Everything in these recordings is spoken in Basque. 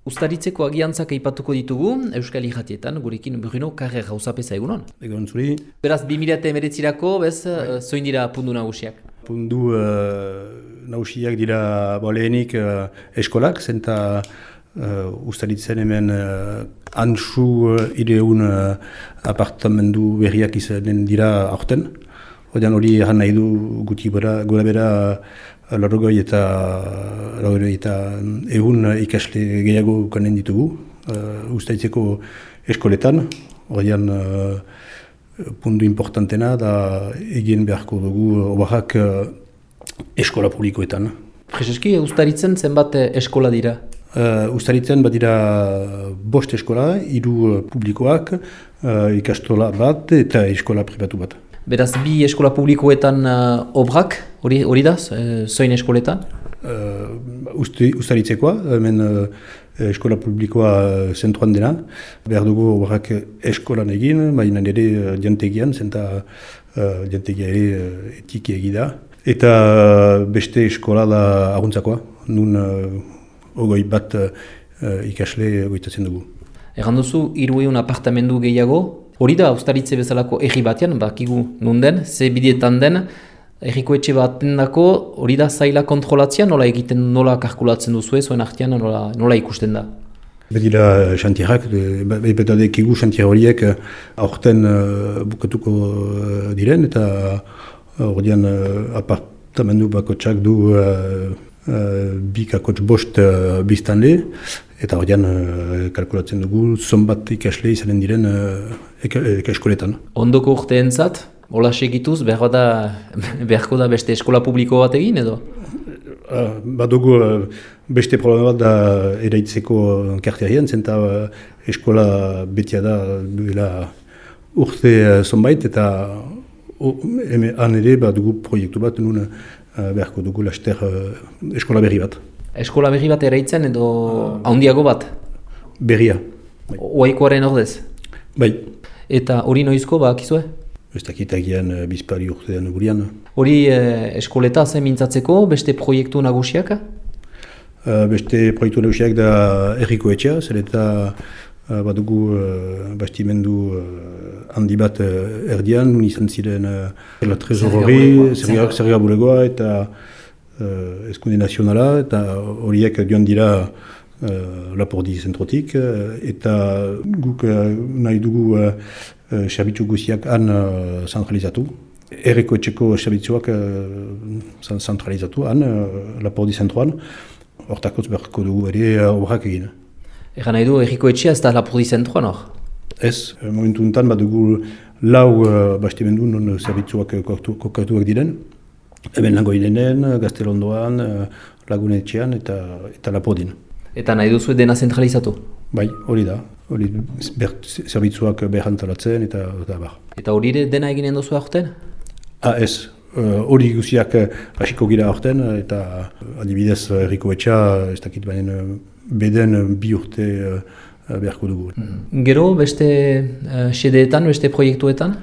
Uztaritzeko agiantzak aipatuko ditugu, Euskal Irratietan, gurekin Bruno Carrera gauzapeza egunon. Egon zuri. Beraz, 2019-erako, zoin dira pundu nagusiak? Pundu nagusiak dira lehenik eskolak, zenta Uztaritzen hemen antzu ireun apartamendu berriak izanen dira aurten. Odean hori erran nahi du guti gora bera larrogoi eta egun ikasle gehiago kanen ditugu Uztaritzeko eskoletan. Odean puntu importantena da egin beharko dugu obarak eskola publikoetan. Prezeski, Uztaritzen zenbat eskola dira? Uztaritzen badira 5 eskola, 3 publikoak, ikastola bat eta eskola pribatu bat. Beraz, 2 eskola publikoetan obrak, hori da, zoin eskoletan? Uztaritzekoa, hemen eskola publikoa zentruan dena. Behar dugu obrak eskolan egin, baina ere diantegian, zenta diantegia ere etiki egida. Eta beste eskola da aguntzakoa, nun ogoi bat ikasle goitatzen dugu. Egan duzu, 300 apartamendu gehiago, hori da Uztaritze bezalako erri batean, bakigu nunden, ze bidietan den, erriko etxe baten dako, hori da zaila kontrolatzea, nola kalkulatzen duzu zuen artean, nola ikusten da? Bedira xantierak, betadekigu xantier horiek aurten bukatuko diren, eta ordean apartamendu bakotsak du 2,5 biztanle, eta ordean kalkulatzen dugu zonbat ikasle izanen diren eskoletan. Ondoko urteentzat, hola segituz, beharko da beste eskola publiko bat egin edo? Badugu beste problema bat da eraitzeko karterian, zenta eskola betia da duela urte zonbait, eta han ere badugu proiektu bat nun beharko dugu laster eskola berri bat. Eskola berri bat eraitzen edo handiago bat? Berria. Oaikoaren ordez? Bai. Eta hori noizko bakizue? Ez dakitagian bizpari urtean gurian. Hori eskoleta zen mintzatzeko, beste proiektu nagusiak? Beste proiektu nagusiak da erriko etxea, zer eta badugu bastimendu handi bat erdian, nun izan ziren la trezorori, zerga bulegoa eta eskunde nazionala, eta horiek joan dira Lapordi zentrotik, eta guk nahi dugu serbitzu guziak han zentralizatu. Erriko etxeko serbitzuak zentralizatu han, Lapordi zentroan, hortakotz beharko dugu ere obrak egin. Egan nahi du, erriko etxea ez da Lapordi zentroan hor? Ez, momentu enten badugu 4 bastimendu non zerbitzuak kokatuak diren. Hemen Langoilenen, Gaztelondoan, Lagunetxean eta Lapordin. Eta nahi duzu dena zentralizatu? Bai, hori da. Hori zerbitzuak behantalatzen eta bar. Eta hori dena eginen duzu aurten? Ez. Hori guziak hasiko gira aurten, eta adibidez erriko etxea, ez dakit baina beden 2 urte beharko dugu. Gero, beste xedeetan, beste proiektuetan?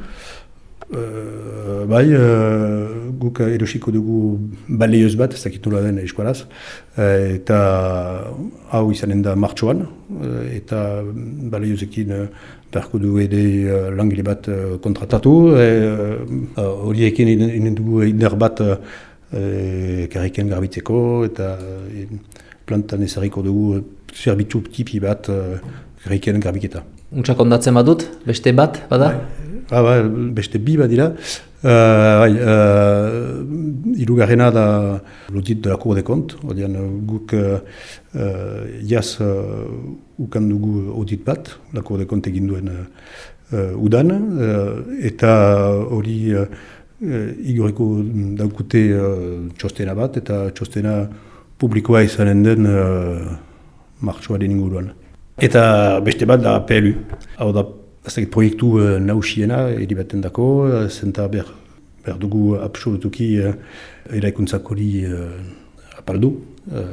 Bai, guk erosiko dugu baleioz bat, ez dakit nola den eskualaz, eta hau izanen da martxoan, eta baleiozekin beharko dugu ere langile bat kontratatu, horiekin inen dugu indar bat karriken garbitzeko, eta plantan ezarriko dugu zerbitzu tipi bat karriken garbiketa. Untsak ondatzen badut, beste bat, bada? Beste 2 bat dira. Hirugarrena da l'audit de la Cour des comptes. Guk jaz ukan dugu audit bat, la Cour des comptes egin duen udan, eta hori igoreko daukute txostena bat, eta txostena publikoa izanen den martxoaren inguruan. Eta beste bat da PLU. Hau da, proiektu nausiena eribaten dako, zenta behar dugu absolutuki eraikuntzak hori apaldu.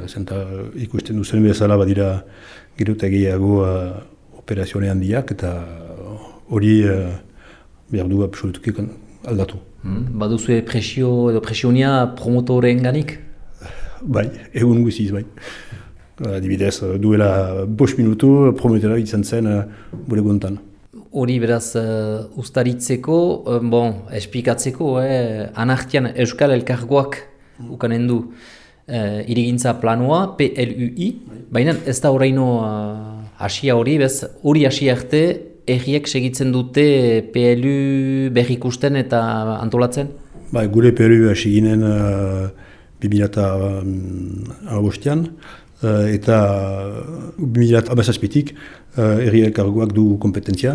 Zenta ikusten duzen bezala badira gero eta gehiago operazione handiak, eta hori behar dugu absolutuki aldatu. Baduzue presio edo presionia promotoren ganik? Bai, egun guziz bai. Adibidez, duela 5 minutu prometera izan zen gure gontan. Hori beraz ustaritzeko, esplikatzeko, anartian Euskal Elkargoak ukanen du hirigintza planua, PLUI, baina ez da horreino hasia hori, hori hasia arte, erriek segitzen dute PLU berrikusten eta antolatzen? Gure PLU hasi ginen 2008an, eta 2017tik herri elkargoak du kompetentzia.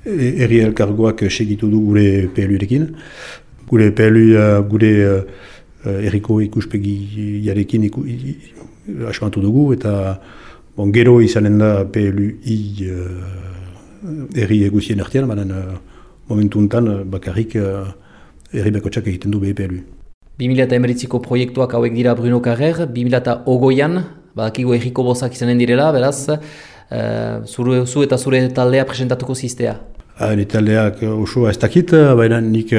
Herri elkargoak segitu du gure PLU-rekin. Gure PLU, gure herriko ikuspegiarekin asmatu dugu, eta gero izanen da PLU-i herri eguzien artean, baina momentu honetan bakarrik herri bakotxak egiten du PLU. 2019ko proiektuak hauek dira Bruno Carrer, 2020an, badakigu herriko bozak izanen direla, beraz, zu eta zure taldea presentatuko ziztea? Ni taldeak osoa ez dakit, baina nik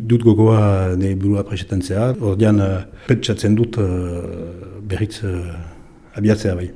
dut gogoa ne burua presentatzea. Ordean, pentsatzen dut berriz abiatzea bai.